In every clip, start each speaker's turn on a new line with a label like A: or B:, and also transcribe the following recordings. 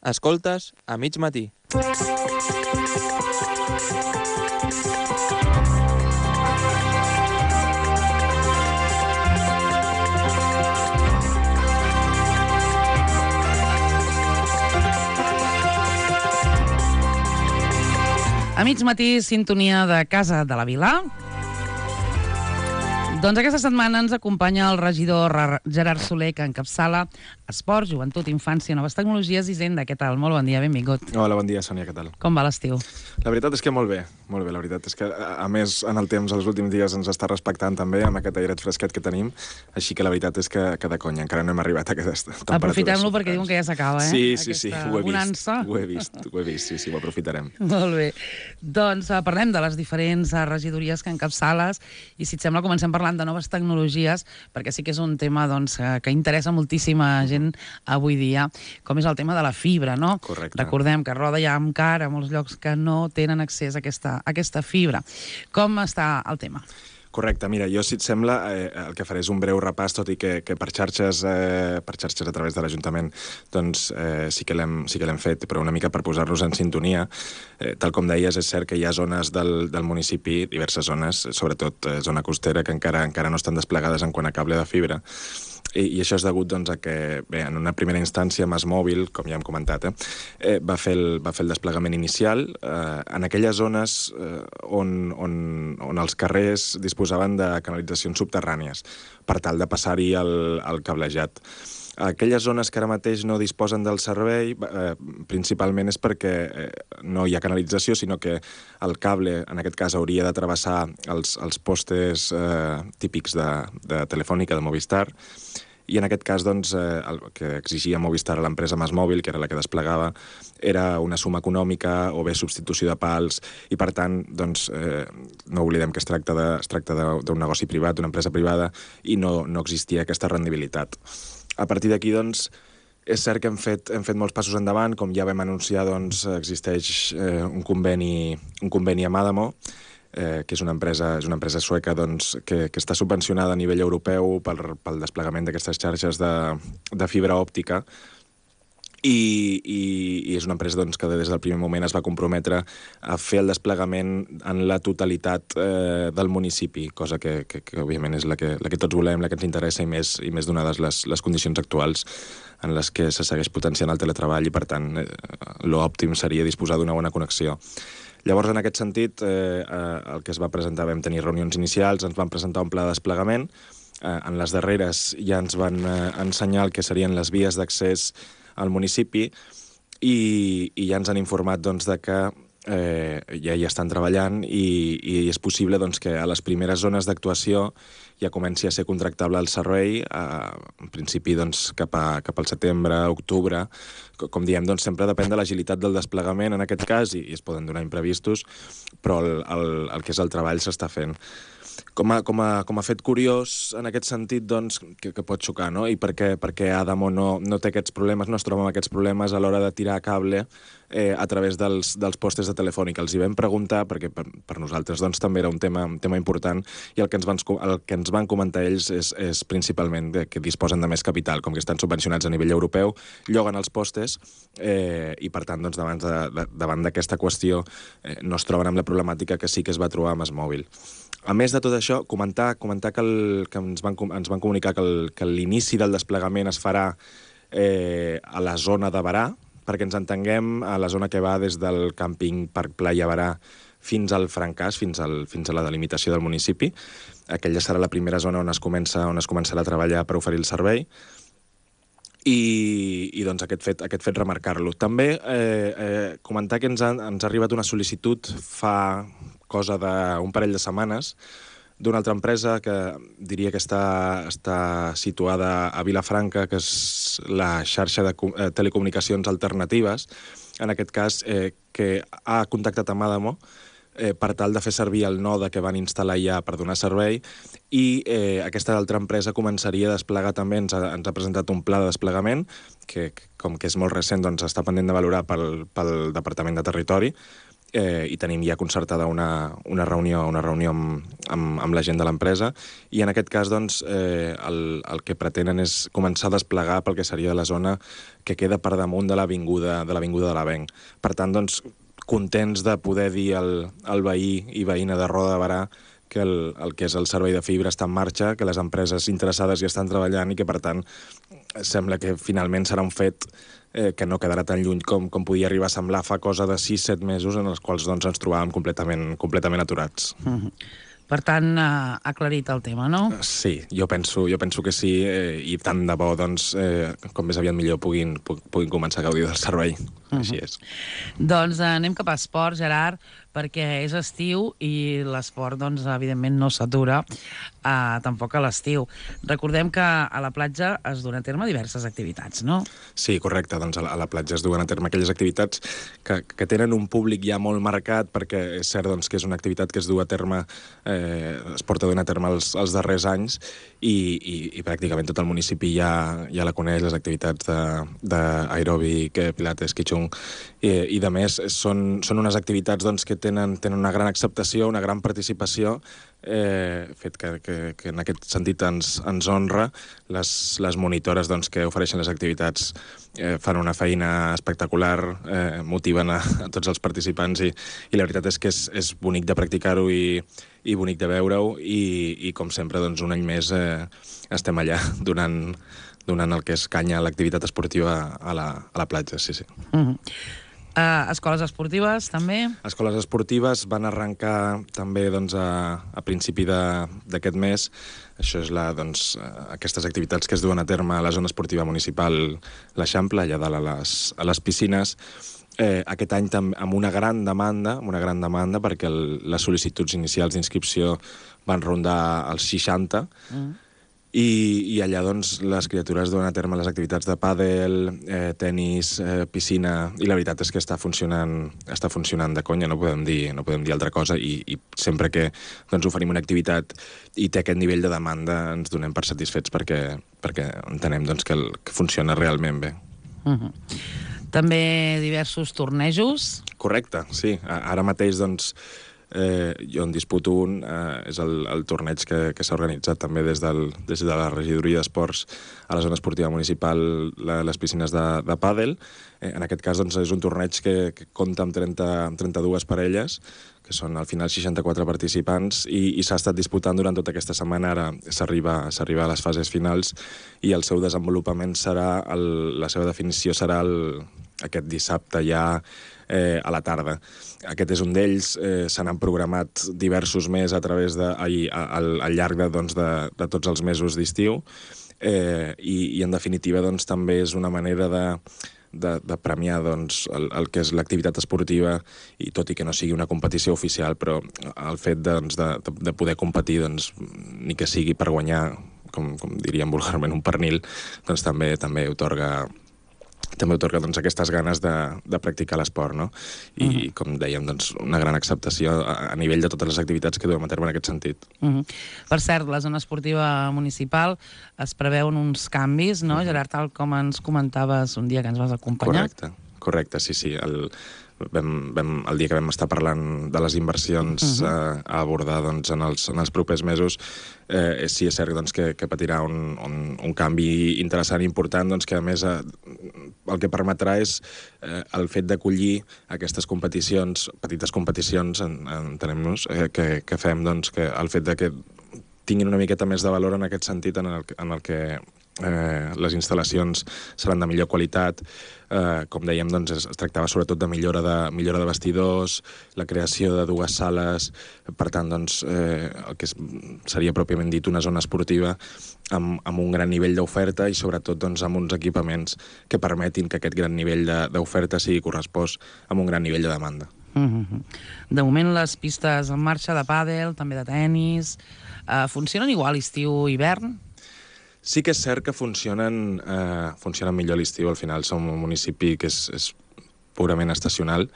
A: Escoltes a mig matí.
B: A mig matí, sintonia de Casa de la Vila. Doncs aquesta setmana ens acompanya el regidor Gerard Soler, que encapçala Esport, Joventut, Infància, Noves Tecnologies i Hisenda. Què tal? Molt bon dia, benvingut.
C: Hola, bon dia, Sònia, què tal?
B: Com va l'estiu?
C: La veritat és que molt bé, la veritat és que, a més, en el temps, els últims dies ens està respectant també amb aquest airet fresquet que tenim, així que la veritat és que de conya, encara no hem arribat a aquestes temperatures.
B: Aprofitem-lo perquè diuen que ja s'acaba,
C: Sí, ho he
B: vist,
C: sí, ho aprofitarem.
B: Molt bé. Doncs parlem de les diferents regidories que encapçales i, si et sembla, comencem parlant de noves tecnologies, perquè sí que és un tema que interessa moltíssima gent avui dia, com és el tema de la fibra, no?
C: Correcte.
B: Recordem que a Roda hi ha encara molts llocs que no tenen accés a aquesta fibra. Com està el tema?
C: Correcte, mira, jo, si et sembla, el que faré és un breu repàs, tot i que per xarxes a través de l'Ajuntament, doncs sí que l'hem fet, però una mica per posar-los en sintonia. Tal com deies, és cert que hi ha zones del municipi, diverses zones, sobretot zona costera, que encara no estan desplegades en quant a cable de fibra. I això és degut doncs, a que, bé, en una primera instància, MásMòbil, com ja hem comentat, va fer el desplegament inicial en aquelles zones on els carrers disposaven de canalitzacions subterrànies per tal de passar-hi el cablejat. Aquelles zones que ara mateix no disposen del servei, principalment és perquè no hi ha canalització, sinó que el cable, en aquest cas, hauria de travessar els postes típics de Telefònica, de Movistar, i en aquest cas, doncs, el que exigia Movistar a l'empresa MásMòbil, que era la que desplegava, era una suma econòmica o bé substitució de pals, i per tant, doncs, no oblidem que es tracta d'un negoci privat, d'una empresa privada, i no existia aquesta rendibilitat. A partir d'aquí, doncs, és cert que hem fet molts passos endavant. Com ja vam anunciar, doncs, existeix un conveni amb Adamo, que és una empresa sueca, doncs, que està subvencionada a nivell europeu pel desplegament d'aquestes xarxes de fibra òptica, i és una empresa, doncs, que des del primer moment es va comprometre a fer el desplegament en la totalitat del municipi, cosa que òbviament és la que tots volem, la que ens interessa, i més donades les condicions actuals en les que se segueix potenciant el teletreball, i per tant l'òptim seria disposar d'una bona connexió. Llavors, en aquest sentit, el que es va presentar, vam tenir reunions inicials, ens van presentar un pla de desplegament. En les darreres ja ens van ensenyar el que serien les vies d'accés al municipi, i ja ens han informat, doncs, de que ja hi estan treballant, i és possible, doncs, que a les primeres zones d'actuació ja comenci a ser contractable el servei, en principi, doncs, cap al setembre, octubre. Com diem, doncs, sempre depèn de l'agilitat del desplegament, en aquest cas, i es poden donar imprevistos, però el que és el treball s'està fent. Com a fet curiós, en aquest sentit, doncs, que pot xocar, no? I per què Adamo no té aquests problemes, no es troba amb aquests problemes a l'hora de tirar cable a través dels postes de Telefònica. Els hi vam preguntar, perquè per nosaltres, doncs, també era un tema important, i el que ens van comentar ells és principalment que disposen de més capital, com que estan subvencionats a nivell europeu, lloguen els postes, i per tant, doncs, davant d'aquesta qüestió no es troben amb la problemàtica que sí que es va trobar a MásMòbil. A més de tot això, comentar que ens van comunicar que l'inici del desplegament es farà a la zona de Berà, perquè ens entenguem, a la zona que va des del càmping Parc Playa Berà fins al Francàs, fins a la delimitació del municipi. Aquella serà la primera zona on es començarà a treballar per oferir el servei. I doncs aquest fet remarcar-lo. També comentar que ens ha arribat una sol·licitud fa cosa d'un parell de setmanes d'una altra empresa que diria que està situada a Vilafranca, que és la xarxa de telecomunicacions alternatives, en aquest cas, que ha contactat amb Adamo per tal de fer servir el node que van instal·lar ja per donar servei, i aquesta altra empresa començaria a desplegar també, ens ha presentat un pla de desplegament, que com que és molt recent, doncs està pendent de valorar pel Departament de Territori, i tenim ja concertada una reunió amb la gent de l'empresa, i en aquest cas doncs, el que pretenen és començar a desplegar pel que seria la zona que queda per damunt de l'Avinguda de l'Avenc. Per tant, doncs, contents de poder dir al veí i veïna de Roda de Berà que el que és el servei de fibra està en marxa, que les empreses interessades ja estan treballant i que, per tant, sembla que finalment serà un fet que no quedarà tan lluny com podia arribar a semblar fa cosa de 6-7 mesos en els quals doncs, ens trobàvem completament aturats.
B: Per tant, aclarit el tema, no?
C: Sí, jo penso que sí, i tant de bo, doncs, com més aviat millor puguin començar a gaudir del servei. Així és.
B: Doncs anem cap a esport, Gerard, perquè és estiu i l'esport, doncs, evidentment no s'atura tampoc a l'estiu. Recordem que a la platja es duen a terme diverses activitats, no?
C: Sí, correcte. Doncs a la platja es duen a terme aquelles activitats que tenen un públic ja molt marcat, perquè és cert doncs, que és una activitat que es du a terme, es porta a dur a terme els darrers anys, i pràcticament tot el municipi ja la coneix, les activitats d'aeròbic, pilates, qiigong, i de més són unes activitats doncs, que tenen una gran acceptació, una gran participació, fet que en aquest sentit ens honra. Les monitores doncs, que ofereixen les activitats fan una feina espectacular, motiven a tots els participants, i la veritat és que és bonic de practicar-ho i bonic de veure-ho, i com sempre, doncs, un any més estem allà donant el que és canya a l'activitat esportiva a la platja, sí.
B: Escoles esportives, també?
C: Escoles esportives van arrencar també doncs, a principi d'aquest mes. Això és aquestes activitats que es duen a terme a la zona esportiva municipal l'Eixample, allà dalt a les piscines. Aquest any amb una gran demanda, perquè les sol·licituds inicials d'inscripció van rondar els 60, i allà doncs, les criatures duen a terme les activitats de pàdel, tenis, piscina, i la veritat és que està funcionant de conya, no podem dir altra cosa, i sempre que doncs, oferim una activitat i té aquest nivell de demanda ens donem per satisfets perquè entenem doncs, que funciona realment bé.
B: També diversos tornejos?
C: Correcte, sí. Ara mateix doncs, jo en disputo un, és el torneig que s'ha organitzat també des de la regidoria d'esports a la zona esportiva municipal, les piscines de pàdel. En aquest cas doncs, és un torneig que compta amb 32 parelles, que són al final 64 participants, i s'ha estat disputant durant tota aquesta setmana. Ara s'arriba a les fases finals, i el seu desenvolupament la seva definició serà aquest dissabte ja a la tarda. Aquest és un d'ells. Se n'han programat diversos més a través al llarg de tots els mesos d'estiu, i en definitiva doncs, també és una manera de premiar doncs, el que és l'activitat esportiva, i tot i que no sigui una competició oficial, però el fet de poder competir, doncs, ni que sigui per guanyar, com diríem vulgarment, un pernil, doncs també otorga doncs, aquestes ganes de practicar l'esport, no? I, com dèiem, doncs, una gran acceptació a nivell de totes les activitats que duem a terme en aquest sentit.
B: Per cert, la zona esportiva municipal es preveuen uns canvis, no, Gerard, tal com ens comentaves un dia que ens vas acompanyar?
C: Correcte, sí. El dia que vam estar parlant de les inversions a abordar doncs, en els propers mesos, sí, és cert doncs, que patirà un canvi interessant i important, doncs, que a més el que permetrà és el fet d'acollir aquestes competicions, petites competicions, entenem-nos, que fem, doncs, que el fet de que tinguin una miqueta més de valor en aquest sentit, en el que les instal·lacions seran de millor qualitat. Com dèiem, doncs, es tractava sobretot de millora de vestidors, la creació de 2 sales, per tant, doncs, el que seria pròpiament dit una zona esportiva amb un gran nivell d'oferta, i sobretot doncs, amb uns equipaments que permetin que aquest gran nivell d'oferta sigui correspost amb un gran nivell de demanda.
B: De moment les pistes en marxa de pàdel, també de tenis, funcionen igual estiu-hivern?
C: Sí que és cert que funcionen millor a l'estiu. Al final som un municipi que és purament estacional.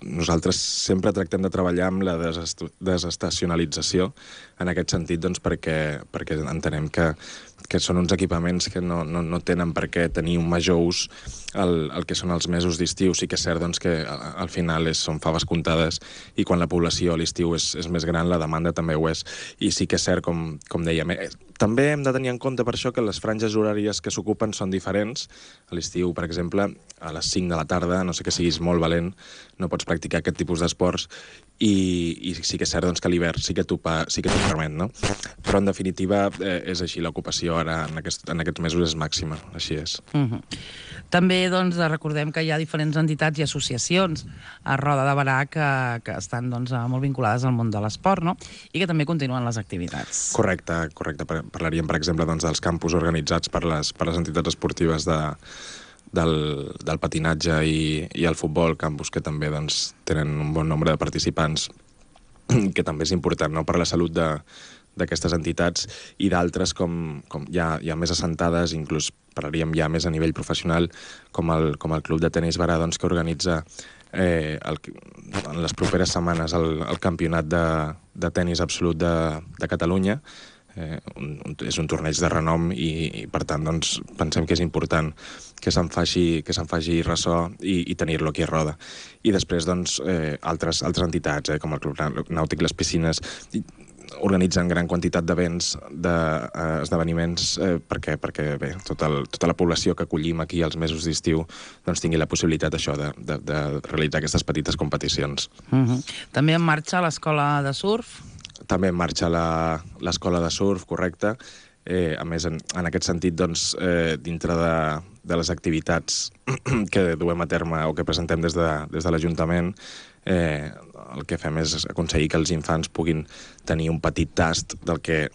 C: Nosaltres sempre tractem de treballar amb la desestacionalització, en aquest sentit, doncs, perquè entenem que són uns equipaments que no tenen per què tenir un major ús el que són els mesos d'estiu. Sí que és cert doncs, que al final són faves comptades i quan la població a l'estiu és més gran, la demanda també ho és. I sí que és cert, com dèiem, també hem de tenir en compte per això que les franges horàries que s'ocupen són diferents. A l'estiu, per exemple, a les 5 de la tarda, no sé que siguis molt valent, no pots practicar aquest tipus d'esports i sí que és cert doncs, que a l'hivern sí que t'ho permet, no? Però en definitiva és així, l'ocupació ara en aquests mesos és màxima, així és.
B: També doncs, recordem que hi ha diferents entitats i associacions a Roda de Berà que estan doncs, molt vinculades al món de l'esport, no? I que també continuen les activitats.
C: Correcte. Parlaríem, per exemple, doncs, dels campus organitzats per les entitats esportives del patinatge i el futbol, campus que també doncs, tenen un bon nombre de participants, que també és important, no?, per la salut d'aquestes entitats, i d'altres com ja més assentades, inclús parlaríem ja més a nivell professional, com el Club de Tenis Berà, doncs, que organitza en les properes setmanes el campionat de tenis absolut de Catalunya. És un torneig de renom i per tant doncs, pensem que és important que se'n faci ressò i tenir-lo aquí a Roda. I després doncs, altres entitats, com el Club Nàutic Les Piscines, organitzen gran quantitat d'events, d'esdeveniments, perquè bé, tota la població que acollim aquí als mesos d'estiu doncs, tingui la possibilitat això de realitzar aquestes petites competicions.
B: També en marxa l'escola de surf?
C: També en marxa l'escola de surf, correcte. A més, en aquest sentit, doncs, dintre de les activitats que duem a terme o que presentem des de l'Ajuntament, el que fem és aconseguir que els infants puguin tenir un petit tast del que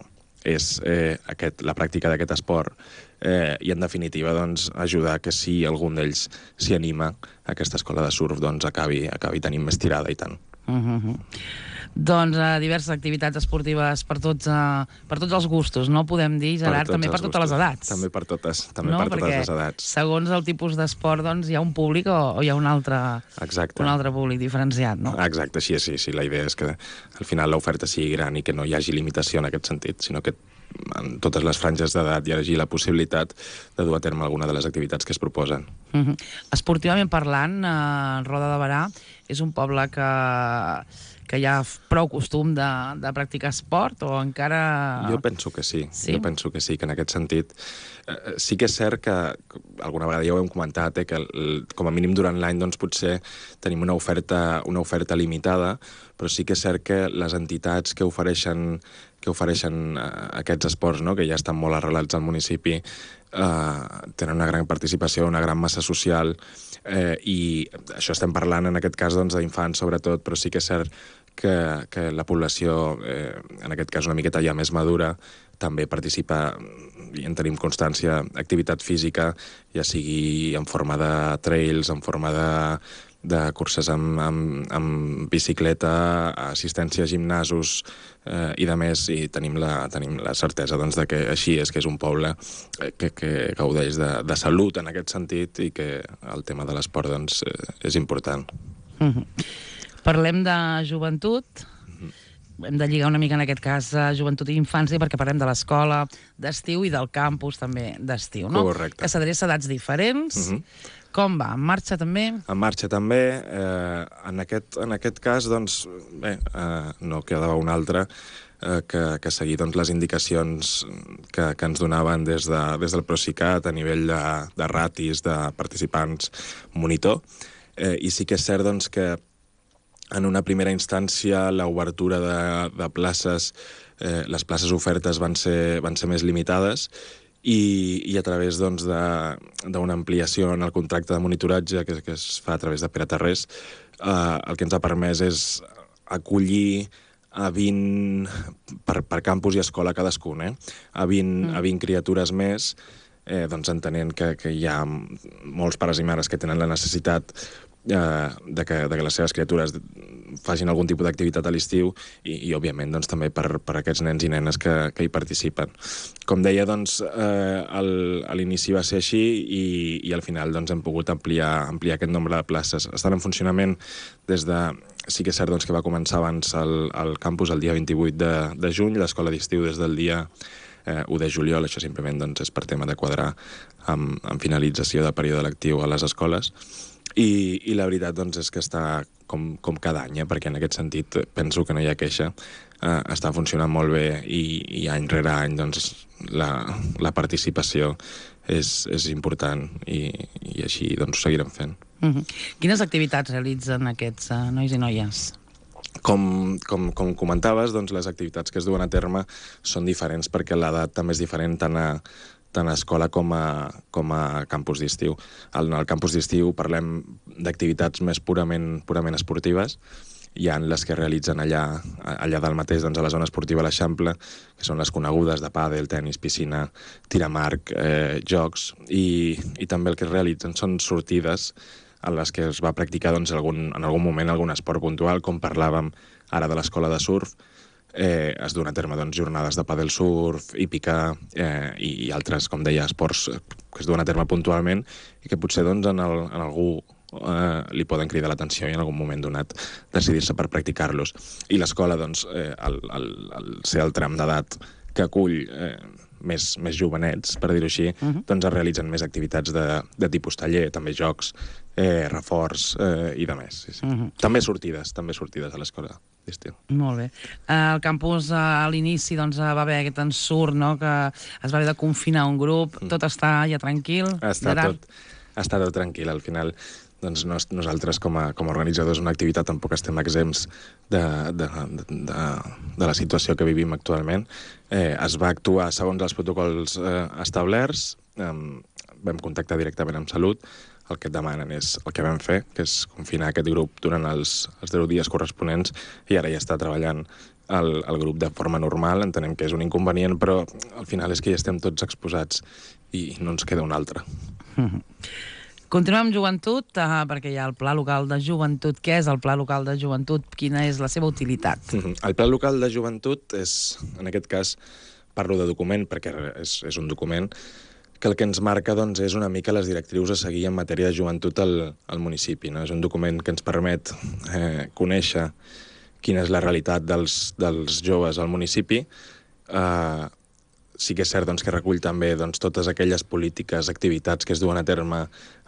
C: és la pràctica d'aquest esport i, en definitiva, doncs, ajudar que si algun d'ells s'hi anima, aquesta escola de surf doncs, acabi tenint més tirada i tant.
B: Doncs diverses activitats esportives per tots els gustos, no podem dir, Gerard, també per totes les edats.
C: També per totes les edats.
B: Segons el tipus d'esport doncs, hi ha un públic o hi ha un altre públic diferenciat, no?
C: Exacte, així és, sí. La idea és que al final l'oferta sigui gran i que no hi hagi limitació en aquest sentit, sinó que en totes les franges d'edat hi hagi la possibilitat de dur a terme alguna de les activitats que es proposen.
B: Esportivament parlant, Roda de Berà és un poble que hi ha prou costum de practicar esport o encara...
C: Jo penso que sí. Jo penso que sí, que en aquest sentit sí que és cert que alguna vegada ja ho hem comentat, que com a mínim durant l'any doncs, potser tenim una oferta limitada, però sí que és cert que les entitats que ofereixen aquests esports, no?, que ja estan molt arrelats al municipi, tenen una gran participació, una gran massa social, i això estem parlant en aquest cas doncs, d'infants sobretot, però sí que és cert que la població, en aquest cas una miqueta ja més madura, també participa, i en tenim constància, activitat física, ja sigui en forma de trails, en forma de curses amb bicicleta, assistència a gimnasos i de més, i tenim la certesa doncs, de que així és, que és un poble que gaudeix de salut en aquest sentit i que el tema de l'esport doncs, és important.
B: Parlem de joventut. Hem de lligar una mica en aquest cas joventut i infància perquè parlem de l'escola d'estiu i del campus també d'estiu, no?
C: Correcte.
B: Que s'adreça a edats diferents. Com va? En marxa també?
C: En marxa també. En aquest cas, doncs, bé, no quedava un altre que seguir doncs, les indicacions que ens donaven des del Procicat a nivell de ratis, de participants, monitor. I sí que és cert doncs, que en una primera instància l'obertura de places, les places ofertes van ser més limitades i a través doncs, d'una ampliació en el contracte de monitoratge que es fa a través de Pere Tarrés, el que ens ha permès és acollir a 20 per campus i escola cadascun, a 20 criatures més, doncs entenent que hi ha molts pares i mares que tenen la necessitat de que les seves criatures facin algun tipus d'activitat a l'estiu i òbviament, doncs, també per aquests nens i nenes que hi participen. Com deia, doncs, a l'inici va ser així i al final doncs, hem pogut ampliar aquest nombre de places. Estan en funcionament des de... Sí que és cert doncs, que va començar abans el campus el dia 28 de juny, l'escola d'estiu des del dia 1 de juliol, això simplement doncs, és per tema de quadrar amb finalització de període lectiu a les escoles, i la veritat doncs, és que està com cada any, perquè en aquest sentit penso que no hi ha queixa, està funcionant molt bé i any rere any doncs, la participació és important i així doncs, ho seguirem fent.
B: Quines activitats realitzen aquests nois i noies?
C: Com comentaves, doncs, les activitats que es duen a terme són diferents perquè l'edat també és diferent tant a escola com a campus d'estiu. En el campus d'estiu parlem d'activitats més purament esportives. Hi ha les que realitzen allà dalt mateix, doncs, a la zona esportiva a l'Eixample, que són les conegudes de pàdel, tenis, piscina, tir amb arc, jocs, i també el que es realitzen són sortides en les que es va practicar doncs, en algun moment algun esport puntual, com parlàvem ara de l'escola de surf. Es duen a terme doncs, jornades de pàdel surf, hípica i altres, com deia, esports que es duen a terme puntualment i que potser doncs, en algú li poden cridar l'atenció i en algun moment donat decidir-se per practicar-los. I l'escola, doncs, al ser el tram d'edat que acull més jovenets, per dir-ho així, doncs es realitzen més activitats de tipus taller, també jocs, reforç i de més. Sí. També sortides a l'escola d'estiu.
B: Molt bé. Al campus, a l'inici, doncs, va haver aquest ensurt, no?, que es va haver de confinar un grup. Tot està ja tranquil?
C: Està tot tranquil. Al final, doncs, nosaltres, com a organitzadors d'una activitat, tampoc estem exempts de la situació que vivim actualment. Es va actuar segons els protocols establerts, vam contactar directament amb Salut, el que et demanen és el que vam fer, que és confinar aquest grup durant els 10 dies corresponents, i ara ja està treballant el grup de forma normal. Entenem que és un inconvenient, però al final és que ja estem tots exposats i no ens queda un altre.
B: Continuem amb joventut, perquè hi ha el Pla Local de Joventut. Què és el Pla Local de Joventut? Quina és la seva utilitat?
C: El Pla Local de Joventut és, en aquest cas, parlo de document, perquè és un document que el que ens marca doncs, és una mica les directrius a seguir en matèria de joventut al municipi. No? És un document que ens permet conèixer quina és la realitat dels joves al municipi. Sí que és cert doncs, que recull també doncs, totes aquelles polítiques, activitats que es duen a terme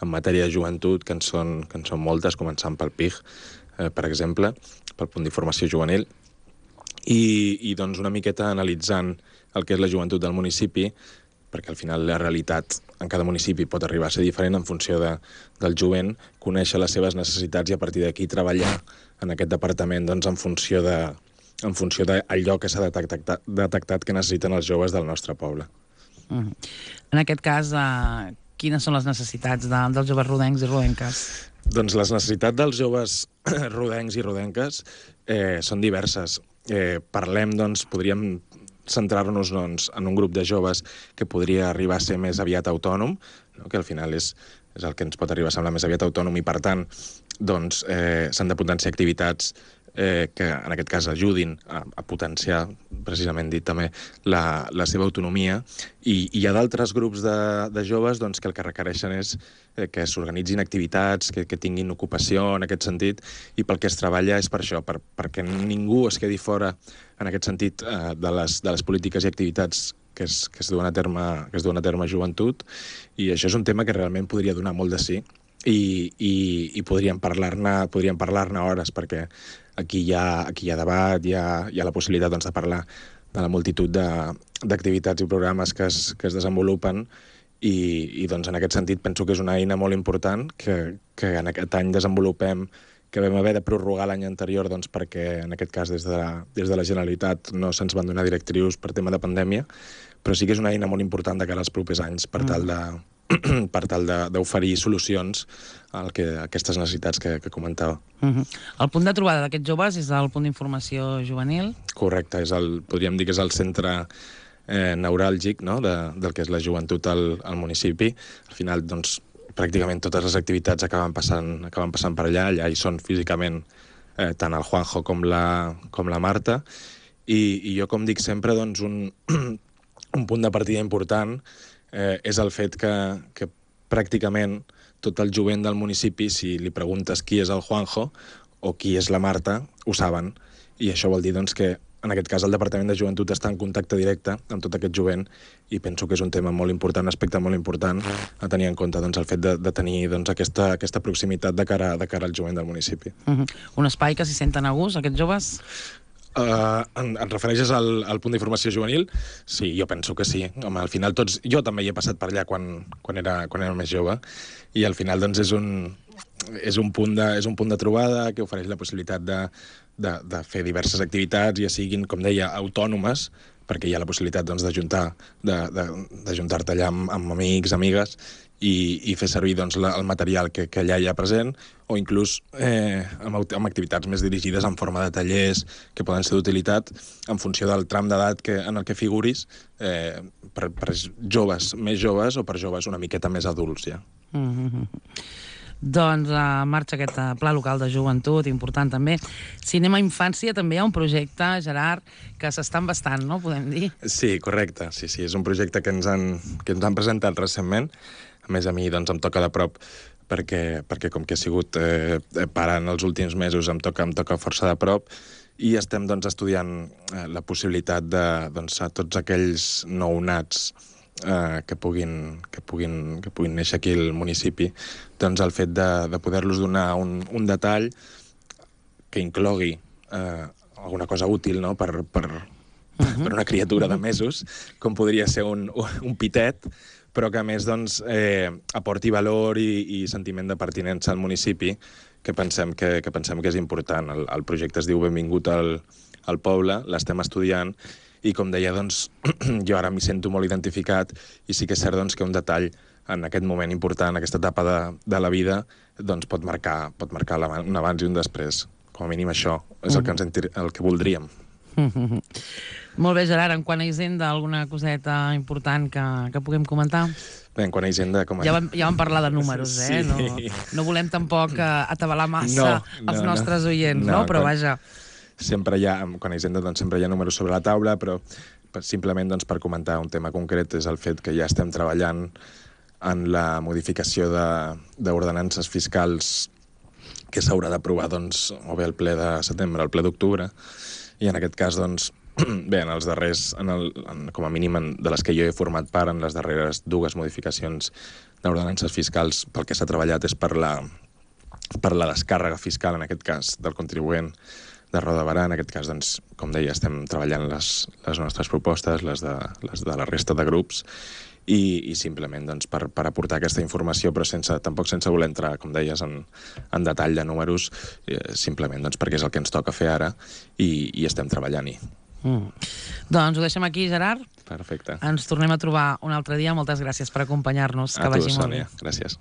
C: en matèria de joventut, que en són moltes, començant pel PIG, per exemple, pel punt d'informació juvenil, i doncs, una miqueta analitzant el que és la joventut del municipi, perquè al final la realitat en cada municipi pot arribar a ser diferent en funció del jovent, conèixer les seves necessitats i a partir d'aquí treballar en aquest departament doncs, en funció d'allò que s'ha detectat que necessiten els joves del nostre poble.
B: En aquest cas, quines són les necessitats dels joves rodencs i rodenques?
C: Doncs les necessitats dels joves rodencs i rodenques són diverses. Parlem, doncs, podríem centrar-nos doncs, en un grup de joves que podria arribar a ser més aviat autònom, no? Que al final és el que ens pot arribar a semblar més aviat autònom i, per tant, doncs, s'han de potenciar activitats que en aquest cas ajudin a potenciar, precisament dit també, la seva autonomia. I hi ha d'altres grups de joves doncs, que el que requereixen és que s'organitzin activitats, que tinguin ocupació en aquest sentit, i pel que es treballa és per això, perquè ningú es quedi fora en aquest sentit de les polítiques i activitats que es duen a terme joventut, i això és un tema que realment podria donar molt de sí, i podríem parlar-ne hores, perquè aquí hi ha debat, hi ha la possibilitat doncs, de parlar de la multitud d'activitats i programes que es desenvolupen, i doncs, en aquest sentit penso que és una eina molt important que en aquest any desenvolupem, que vam haver de prorrogar l'any anterior doncs, perquè en aquest cas des de la Generalitat no se'ns van donar directrius per tema de pandèmia, però sí que és una eina molt important de cara als propers anys per tal d'oferir solucions a aquestes necessitats que comentava.
B: El punt de trobada d'aquests joves és el punt d'informació juvenil?
C: Correcte, podríem dir que és el centre neuràlgic, no?, del que és la joventut al municipi. Al final, doncs, pràcticament totes les activitats acaben passant per allà hi són físicament tant el Juanjo com la Marta, i jo, com dic sempre, doncs, un punt de partida important és el fet que pràcticament tot el jovent del municipi, si li preguntes qui és el Juanjo o qui és la Marta, ho saben. I això vol dir doncs, que en aquest cas el Departament de Joventut està en contacte directe amb tot aquest jovent i penso que és un tema molt important, un aspecte molt important a tenir en compte el fet de tenir aquesta proximitat de cara al jovent del municipi.
B: Un espai que s'hi senten a gust, aquests joves?
C: Et refereixes al punt d'informació juvenil? Sí, jo penso que sí. Home, al final jo també hi he passat per allà quan era més jove i al final doncs és un punt de trobada que ofereix la possibilitat de fer diverses activitats, ja siguin, com deia, autònomes, perquè hi ha la possibilitat d'ajuntar-te allà amb amics, amigues, i fer servir el material que allà hi ha present, o inclús amb activitats més dirigides en forma de tallers que poden ser d'utilitat en funció del tram d'edat en el que figuris, per joves més joves o per joves una miqueta més adults ja.
B: Doncs marxa aquest pla local de joventut, important també. Cinema Infància, també hi ha un projecte, Gerard, que s'està embastant, no? Podem dir?
C: Sí, correcte. Sí, és un projecte que ens han presentat recentment. A més, a mi em toca de prop perquè com que he sigut pare en els últims mesos, em toca força de prop i estem estudiant la possibilitat de a tots aquells nounats que puguin néixer aquí al municipi, el fet de poder-los donar un detall que inclogui alguna cosa útil, no?, per una criatura de mesos, com podria ser un pitet, però que a més aporti valor i sentiment de pertinença al municipi, que pensem que és important. El projecte es diu Benvingut al poble, l'estem estudiant, i com deia, jo ara m'hi sento molt identificat i sí que és cert que un detall en aquest moment important, aquesta etapa de la vida, pot marcar un abans i un després. Com a mínim això és el que voldríem.
B: Molt bé, Gerard, en quant a Hisenda, alguna coseta important que puguem comentar?
C: Bé, en quant a Hisenda...
B: Ja vam parlar de números, eh?
C: Sí.
B: No volem tampoc atabalar massa els nostres oients, no? Però vaja...
C: Sempre hi ha, quan a Hisenda sempre hi ha números sobre la taula, però simplement per comentar un tema concret és el fet que ja estem treballant en la modificació d'ordenances fiscals que s'haurà d'aprovar o bé al ple de setembre o al ple d'octubre, i en aquest cas, bé, en els darrers, com a mínim de les que jo he format part, en les darreres dues modificacions d'ordenances fiscals, pel que s'ha treballat és per la descàrrega fiscal, en aquest cas, del contribuent de Roda de Berà. En aquest cas, com deia, estem treballant les nostres propostes, les de la resta de grups, i simplement per aportar aquesta informació, però tampoc sense voler entrar, com deies, en detall de números, simplement perquè és el que ens toca fer ara i estem treballant-hi.
B: Doncs ho deixem aquí, Gerard.
C: Perfecte.
B: Ens tornem a trobar un altre dia. Moltes gràcies per acompanyar-nos.
C: A tu, Sònia. Gràcies.